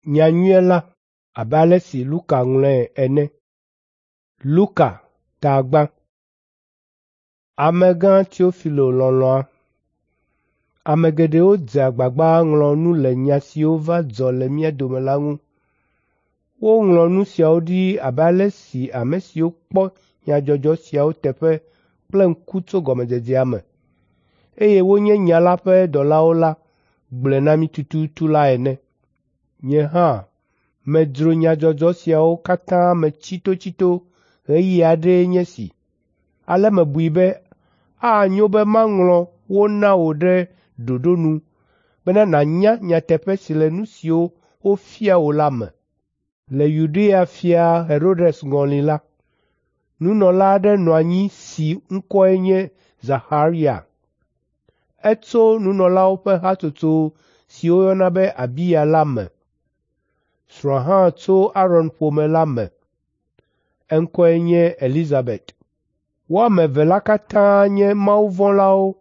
Nyanyuie la abe ale si Luka ŋlɔe ene. Luka ta gbã. Amegã Teofilo lɔlɔ̃a. Ame geɖewo dze agbagba ŋlɔ nu le nya siwo va dzɔ le mía dome la ŋu. Woŋlɔ nu siawo ɖi abe ale si ame siwo kpɔ nyadzɔdzɔ siawo teƒe kple ŋku tso gɔmedzedzea me, eye wonye nya la ƒe dɔlawo la gblɔe na mí tututu la ene. Nye hã medzro nyadzɔdzɔ siawo katã me tsitotsito ɣeyiɣi aɖee nye esi. Ale mebui be anyo be maŋlɔ wo na wò ɖe ɖoɖo nu bena nànya nyateƒe si le nu siwo wofia wò la me. Le Yudea fia Herodes ŋɔli la, nunɔla aɖe nɔ anyi si ŋkɔe nye Zaxaria. Etso nunɔlawo ƒe hatsotso si woyɔna be Abiya la me. Srɔ̃a hã tso Aron ƒome la me. Eŋkɔe nye Elizabet. Wo ame eve la katã nye mawuvɔ̃lawo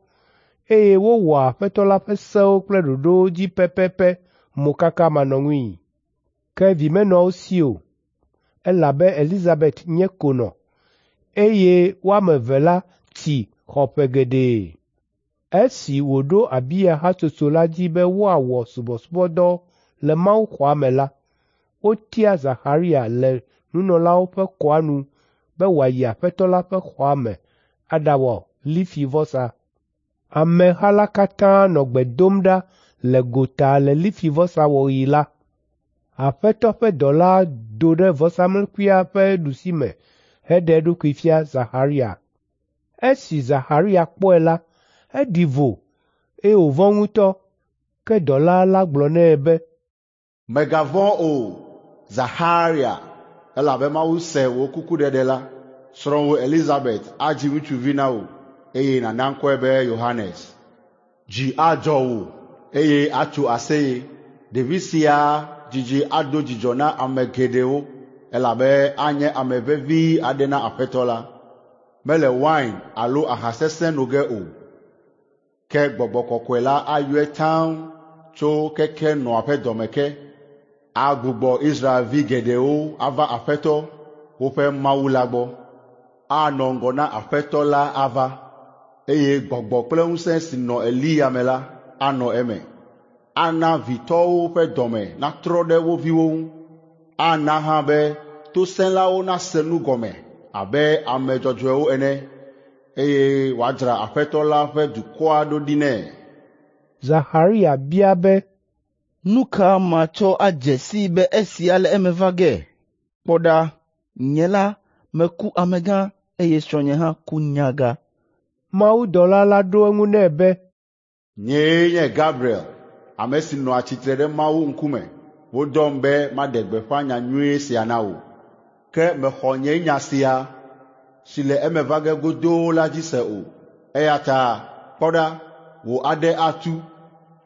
eye wowɔa Aƒetɔ la ƒe sewo kple ɖoɖowo dzi pɛpɛpɛ mokakamanɔŋui. Ke vi menɔ wo si o, elabe Elizabet nye konɔ, eye wo ame eve la tsi xɔ ƒe geɖe. Esi wòɖo Abiya hatsotso la dzi be woawɔ subɔsubɔdɔ le mawuxɔa me la, wotia Zaxaria le nunɔlawo ƒe kɔa nu be wòayi Aƒetɔ la ƒe xɔa me aɖawɔ lifivɔsa. Ameha la katã nɔ gbe dom ɖa le gota le lifivɔsa wɔɣi la, Aƒetɔ ƒe dɔla do ɖe vɔsamlekpuia ƒe ɖusime heɖe eɖokui fia Zaxaria. Esi Zaxaria kpɔe la, eɖi vo, eye wòvɔ̃ ŋutɔ. Ke dɔla la gblɔ nɛ be, Mègavɔ̃ o, Zaxaria, elabe Mawu se wò kukuɖeɖe la. Srɔ̃wò Elizabet adzi ŋutsuvi na wò, eye nàna ŋkɔe be Yohanes. Dzi adzɔ wò, eye atso aseye. Ɖevi sia dzidzi ado dzidzɔ na ame geɖewo, elabe anye ame vevi aɖe na Aƒetɔ la. Mele wain alo aha sesẽ no ge o, ke Gbɔgbɔ Kɔkɔe la ayɔe taŋ tso keke nɔa ƒe dɔme ke. Agbugbɔ Israelvi geɖewo ava Aƒetɔ, woƒe Mawu la gbɔ. Anɔ ŋgɔ na Aƒetɔ la ava, eye gbɔgbɔ kple ŋusẽ si nɔ Eliya me la anɔ eme. Ana vitɔwo ƒe dɔme natrɔ ɖe wo viwo ŋu. Ana hã be tosẽlawo nase nu gɔme abe ame dzɔdzɔewo ene, eye wòadzra Aƒetɔ la ƒe dukɔa ɖo ɖi nɛ. Zaxaria bia be, Nu ka matsɔ adze sii be esia le eme va ge? Kpɔ ɖa, nye la meku amegã eye srɔ̃nye hã ku nyaga. Mawudɔla la ɖo eŋu nɛ be, Nyee nye Gabriel, ame si nɔa tsitre ɖe Mawu ŋkume. Wodɔm be maɖe gbeƒã nyanyui sia na wò. Ke mèxɔ nye nya sia si le eme va ge godoo la dzi se o. Eya ta kpɔ ɖa, wò aɖe atu,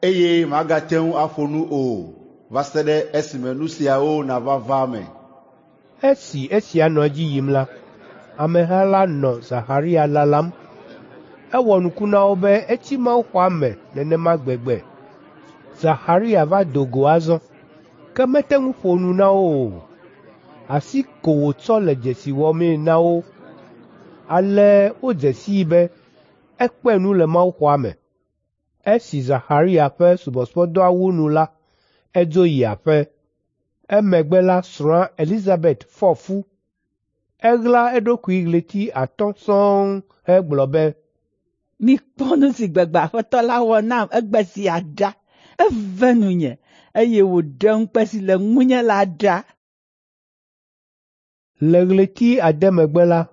eye màgate ŋu aƒo nu o va se ɖe esime nu siawo nava va eme. Esi esia nɔ edzi yim la, ameha la nɔ Zaxaria lalam. Ewɔ nuku na wo be etsi mawuxɔa me nenema gbegbe. Zaxaria va do go azɔ, ke mete ŋu ƒo nu na wo o. Asi ko wòtsɔ le dzesi wɔmee na wo. Ale wodze sii be ekpe nu le mawuxɔa me. Esi Zaxaria ƒe subɔsubɔdɔa wu nu la, edzo yi aƒe. Emegbe la srɔ̃a Elizabet fɔ fu. Eɣla eɖokui ɣleti atɔ̃ sɔŋ hegblɔ be, Mikpɔ nu si gbegbe Aƒetɔ la wɔ nam egbe sia ɖa. Eve nunye, eye wòɖe ŋukpe si le ŋunye la ɖa. Le ɣleti ade megbe la,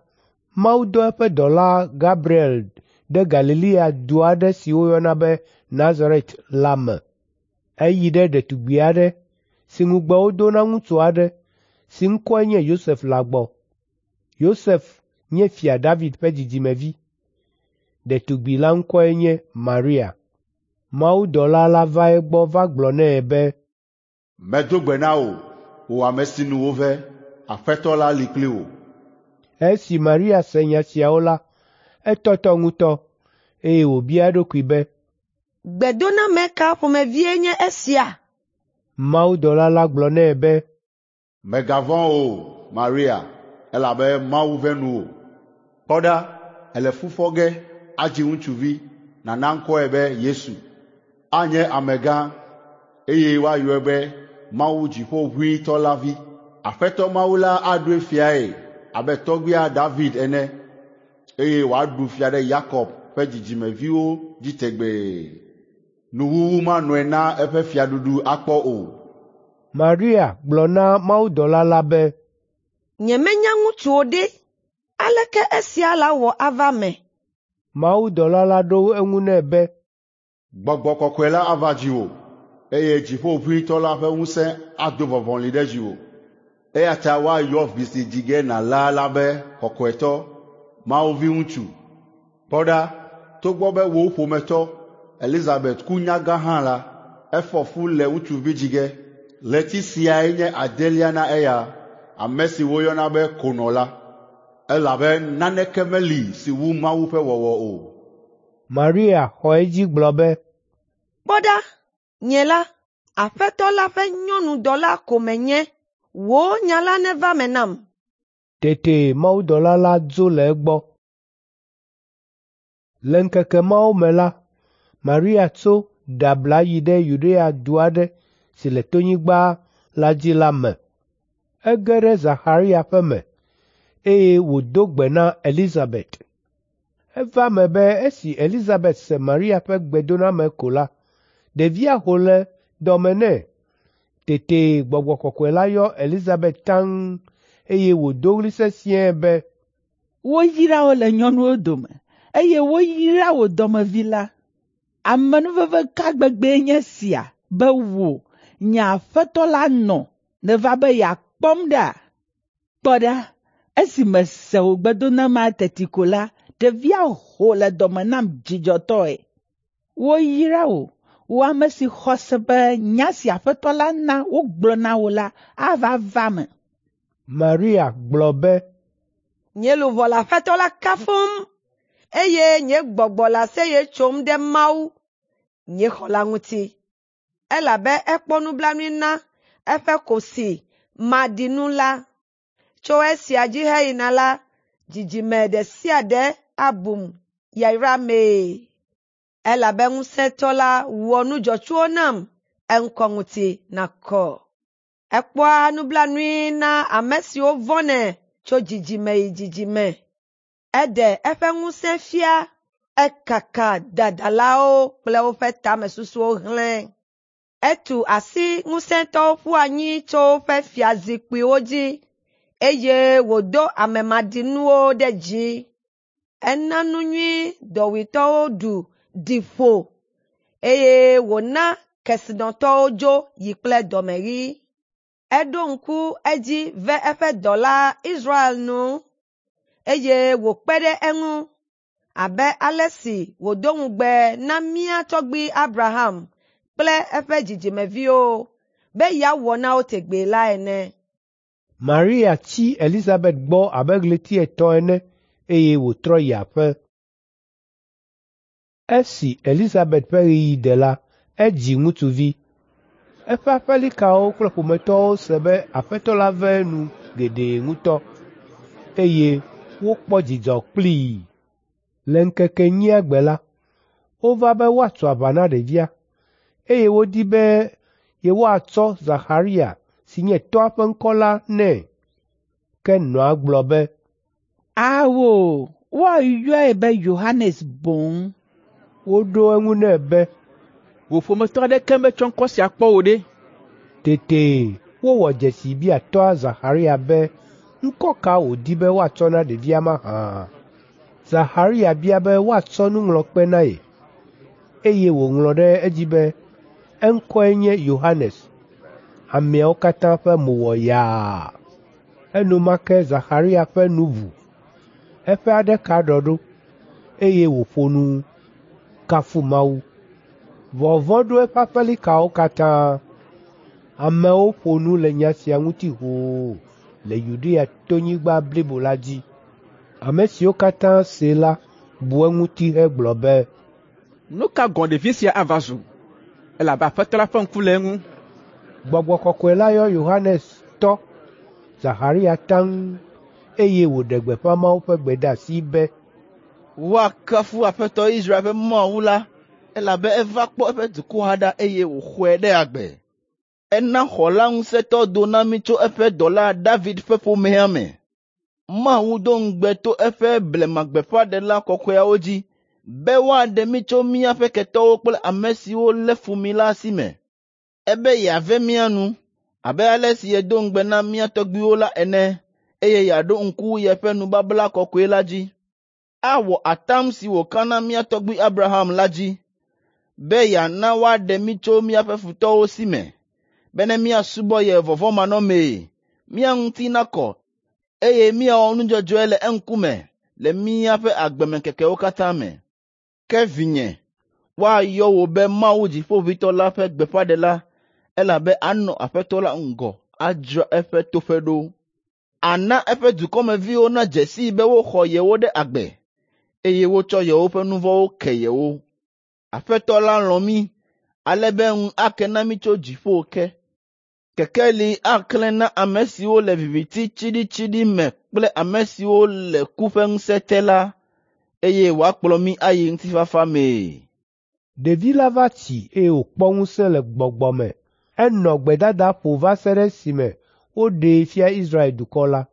Mawu dɔ eƒe dɔla Gabriel ɖe Galilea du aɖe si woyɔna be Nazaret la me. Eyi ɖe ɖetugbi aɖe si ŋugbe wodo na ŋutsu aɖe si ŋkɔe nye Yosef la gbɔ. Yosef nye Fia David ƒe dzidzimevi. Ɖetugbi la ŋkɔe nye Maria. Mawudɔla la va egbɔ va gblɔ nɛ be, Medo gbe na wò, wò ame si nu wove. Aƒetɔ la li kpli wò. Esi Maria se nya siawo la, etɔtɔ ŋutɔ, eye wòbia eɖokui be, Gbedoname ka ƒomevie nye esia? Mawudɔla la gblɔ nɛ be, Mègavɔ̃ o, Maria, elabe Mawu ve nuwò. Kpɔ ɖa, èle fu fɔ ge adzi ŋutsuvi, nàna ŋkɔe be Yesu. Anye amegã, eye woayɔe be Mawu Dziƒoʋĩtɔ la Vi. Aƒetɔ Mawu la aɖoe fiae abe tɔgbuia David ene, eye wòaɖu fia ɖe Yakob ƒe dzidzimeviwo dzi tegbee. Nuwuwu manɔe na eƒe fiaɖuɖu akpɔ o. Maria gblɔ na mawudɔla la be, Nyemenya ŋutsu o ɖe, aleke esia lawɔ ava eme? Mawudɔla la ɖo eŋu nɛ be, Gbɔgbɔ Kɔkɔe la ava dziwò, eye Dziƒoʋĩtɔ la ƒe ŋusẽ ado vɔvɔli ɖe dziwò. Eya ta woayɔ vi si dzi ge nàla la be Kɔkɔetɔ, Mawu Viŋutsu. Kpɔ ɖa, togbɔ be wò ƒometɔ Elizabet ku nyagã hã la, efɔ fu le ŋutsuvi dzi ge. Ɣleti siae nye adelia na eya, ame si woyɔna be konɔ la, elabe naneke meli si wu Mawu ƒe wɔwɔ o. Maria xɔ edzi gblɔ be, Kpɔ ɖa, nye la, Aƒetɔ la ƒe nyɔnudɔla ko menye. Wò nya la neva eme nam. Tete mawudɔla la dzo le egbɔ. Le ŋkeke mawo me la, Maria tso ɖe abla yi ɖe Yudea du aɖe si le tonyigba la dzi la me. Ege ɖe Zaxaria ƒe me, eye wòdo gbe na Elizabet. Eva eme be esi Elizabet se Maria ƒe gbedoname ko la, ɖevia ho le dɔ me nɛ. Tete Gbɔgbɔ Kɔkɔe la yɔ Elizabet taŋ, eye wòdo ɣli sesĩe be, Woyra wò le nyɔnuwo dome, eye woyra wò dɔmevi la. Amenuveve ka gbegbee nye esia be wò, nye Aƒetɔ la nɔ nèva be yeakpɔm ɖa? Kpɔ ɖa, esi mese wò gbedonamea teti ko la, ɖevia ho le dɔme nam dzidzɔtɔe. Woyra wò, wò ame si xɔ se be nya si Aƒetɔ la na wogblɔ na wò la ava va eme. Maria gblɔ be, Nye luʋɔ le Aƒetɔ la kafum, eye nye gbɔgbɔ le aseye tsom ɖe Mawu, nye xɔla ŋuti, elabe ekpɔ nublanui na eƒe kosi maɖinu la. Tso esia dzi heyina la, dzidzime ɖe sia ɖe abum yayramee. Elabe ŋusẽtɔ la wɔ nu dzɔtsuwo nam, eŋkɔ ŋuti nakɔ. Ekpɔa nublanui na ame siwo vɔ̃nɛ tso dzidzime yi dzidzime. Eɖe eƒe ŋusẽ fia, ekaka dadalawo kple woƒe tamesusuwo hlẽ. Etu asi ŋusẽtɔwo ƒu anyi tso woƒe fiazikpuiwo dzi, eye wòdo ame maɖinuwo ɖe dzi. Ena nu nyui dɔwuitɔwo ɖu ɖi ƒo, eye wòna kesinɔtɔwo dzo yi kple dɔmeɣi. Eɖo ŋku edzi ve eƒe dɔla Israel nu, eye wòkpe ɖe eŋu abe ale si wòdo ŋugbe na mía tɔgbui Abraham kple eƒe dzidzimeviwo be yeawɔ na wo tegbee la ene. Maria tsi Elizabet gbɔ abe ɣleti etɔ̃ ene eye wòtrɔ yi aƒe. Esi Elizabet ƒe ɣeyiɣi de la, edzi ŋutsuvi. Eƒe aƒelikawo kple ƒometɔwo se be Aƒetɔ la ve enu geɖe ŋutɔ, eye wokpɔ dzidzɔ kplii. Le ŋkeke enyia gbe la, wova be woatso aʋa na ɖevia, eye wodi be yewoatsɔ Zaxaria si nye tɔ́a ƒe ŋkɔ la nɛ. Ke nɔa gblɔ be, Ao, woayɔe be Yohanes boŋ. Woɖo eŋu nɛ be, Wò ƒometɔ aɖeke metsɔ ŋkɔ sia kpɔ o ɖe! Tete wowɔ dzesi bia tɔ́a Zaxaria be ŋkɔ ka wòdi be woatsɔ na ɖevia mahã. Zaxaria bia be woatsɔ nuŋlɔkpe na ye, eye wòŋlɔ ɖe edzi be, eŋkɔe nye Yohanes. Ameawo katã ƒe mo wɔ yaa. Enumake Zaxaria ƒe nu ʋu, eƒe aɖe ka ɖɔ ɖo, eye wòƒo nu kafu Mawu. Vɔvɔ̃ ɖo eƒe aƒelikawo katã. Amewo ƒo nu le nya sia ŋuti hoo le Yudea tonyigba blibo la dzi. Ame siwo katã see la bu eŋuti hegblɔ be, Nu ka gɔ̃ ɖevi sia ava zu? Elabe Aƒetɔ la ƒe ŋku le eŋu. Gbɔgbɔ Kɔkɔe la yɔ Yohanes tɔ, Zaxaria taŋ, eye wòɖe gbeƒã Mawu ƒe gbedeasi be, Woakafu Aƒetɔ Israel ƒe Mawu la, elabe eva kpɔ eƒe dukɔa ɖa eye wòxɔe ɖe agbe. Ena xɔla ŋusẽtɔ do na mí tso eƒe dɔla David ƒe ƒomea me. Mawu do ŋugbe to eƒe blemagbeƒãɖela kɔkɔeawo dzi be woaɖe mí tso míaƒe ketɔwo kple ame siwo lé fu mí la si me. Ebe yeave mía nu abe ale si yedo ŋugbe na mía tɔgbuiwo la ene, eye yeaɖo ŋku yeƒe nubabla kɔkɔe la dzi. Awɔ atam si wòka na mía tɔgbui Abraham la dzi, be yeana woaɖe mí tso míaƒe futɔwo si me, bene míasubɔ ye vɔvɔ̃manɔmee, mía ŋuti nakɔ, eye míawɔ nu dzɔdzɔe le eŋkume le míaƒe agbemeŋkekewo katã me. Ke vinye, woayɔ wò be Mawu Dziƒoʋĩtɔ la ƒe gbeƒãɖela, elabe anɔ Aƒetɔ la ŋgɔ adzra eƒe toƒe ɖo. Ana eƒe dukɔmeviwo nadze sii be woxɔ yewo ɖe agbe, eye wotsɔ yewoƒe nu vɔ̃wo ke yewo. Aƒetɔ la lɔ̃ mí ale be ŋu ake na mí tso dziƒo ke. Kekeli aklẽ na ame siwo le viviti tsiɖitsiɖi me kple ame siwo le ku ƒe ŋusẽ te la, eye wòakplɔ mí ayi ŋutifafa mee. Ɖevi la va tsi eye wòkpɔ ŋusẽ le gbɔgbɔ me. Enɔ gbedadaƒo va se ɖe esime woɖee fia Israel dukɔ la.